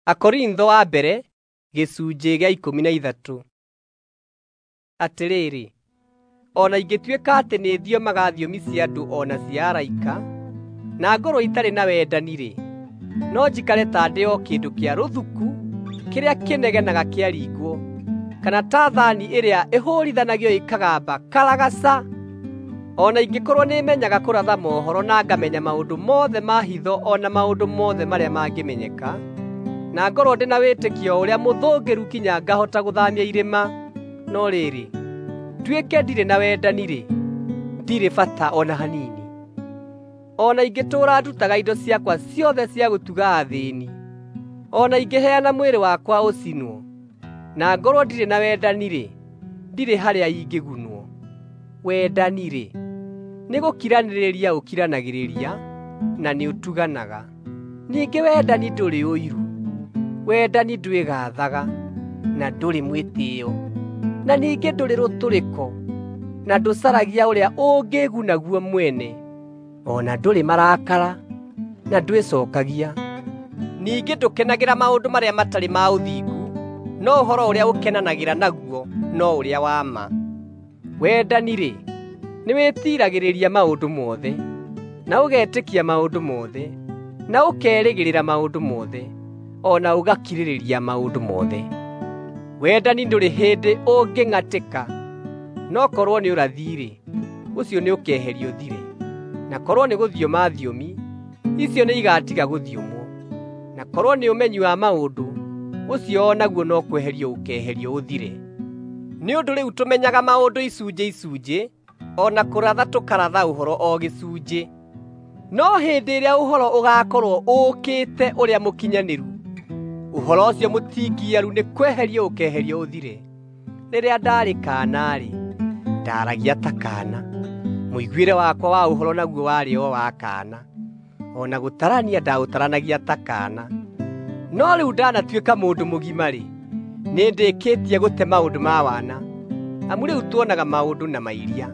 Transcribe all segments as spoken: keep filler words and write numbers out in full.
Akorintho wa mbere gĩcunjĩ gĩa ikũmi na ithatũ. Atĩrĩrĩ, o na ingĩtuĩka atĩ nĩthiomaga thiomi cia andũ o na cia araika, na ngorwo itarĩ na wendani-rĩ, no njikare ta ndĩ o kĩndũ kĩa rũthuku kĩrĩa kĩnegenaga kĩaringwo, kana ta thaani ĩrĩa ĩhũũrithanagio ĩkagamba karagaca. O na ingĩkorwo nĩmenyaga kũratha mohoro na ngamenya maũndũ mothe ma hitho o na maũndũ mothe marĩa mangĩmenyeka, na ngorwo ndĩ na wĩtĩkio ũrĩa mũthũngĩru kinya ngahota gũthaamia irĩma, no rĩrĩ, nduĩke ndirĩ na wendani-rĩ, ndirĩ bata o na hanini. O na ingĩtũũra ndutaga indo ciakwa ciothe cia gũtuga athĩĩni, o na ingĩheana mwĩrĩ wakwa ũcinwo, na ngorwo ndirĩ na wendani-rĩ, ndirĩ harĩa ingĩgunwo. Wendani-rĩ, nĩgũkiranĩrĩria ũkiranagĩrĩria na nĩũtuganaga. Ningĩ wendani ndũrĩ ũiru. Wendani ndwĩgaathaga, na ndũrĩ mwĩtĩĩo, na ningĩ ndũrĩ rũtũrĩko, na ndũcaragia ũrĩa ũngĩĩguna guo mwene, o na ndũrĩ marakara, na ndwĩcookagia. Ningĩ ndũkenagĩra maũndũ marĩa matarĩ ma ũthingu, no ũhoro ũrĩa ũkenanagĩra naguo no ũrĩa wa ma. Wendani-rĩ, nĩwĩtiiragĩrĩria maũndũ mothe, na ũgetĩkia maũndũ mothe, na ũkerĩgĩrĩra maũndũ mothe, o na ũgakirĩrĩria maũndũ mothe. Wendani ndũrĩ hĩndĩ ũngĩng'atĩka, no korwo nĩ ũrathi-rĩ, ũcio nĩũkeherio ũthire; na korwo nĩ gũthioma thiomi, icio nĩigatiga gũthiomwo; na korwo nĩ ũmenyi wa maũndũ, ũcio o naguo no kweherio ũkeeherio ũthire. Nĩ ũndũ rĩu tũmenyaga maũndũ icunjĩ icunjĩ, o na kũratha tũkaratha ũhoro o gĩcunjĩ. No hĩndĩ ĩrĩa ũhoro ũgaakorwo ũũkĩte ũrĩa mũkinyanĩru, ũhoro ũcio mũtingiaru nĩ kweherio ũkeeherio ũthire. Rĩrĩa ndaarĩ kaana-rĩ, ndaaragia ta kaana, mũiguĩre wakwa wa ũhoro naguo warĩ o wa kaana, o na gũtarania ndaũtaranagia ta kaana. No rĩu ndanatuĩka mũndũ mũgima-rĩ, nĩndĩkĩtie gũte maũndũ ma wana. Amu rĩu tuonaga maũndũ na mairia,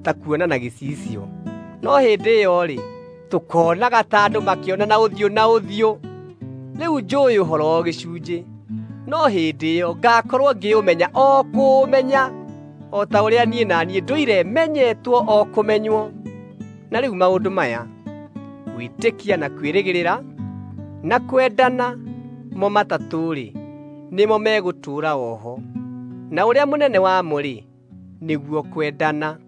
ta kuona na gĩcicio, no hĩndĩ ĩyo-rĩ, tũkoonaga ta andũ makĩonana ũthiũ na ũthiũ. Rĩu njũũĩ ũhoro o gĩcunjĩ, no hĩndĩ ĩyo ngaakorwo ngĩũmenya o kũũmenya, o ta ũrĩa niĩ na niĩ ndũire menyetwo o kũmenywo. Na rĩu maũndũ maya, gwĩtĩkia na kwĩrĩgĩrĩra na kwendana, mo matatũ-rĩ, nĩmo megũtũũra o ho, na ũrĩa mũnene wamo-rĩ, nĩguo kwendana.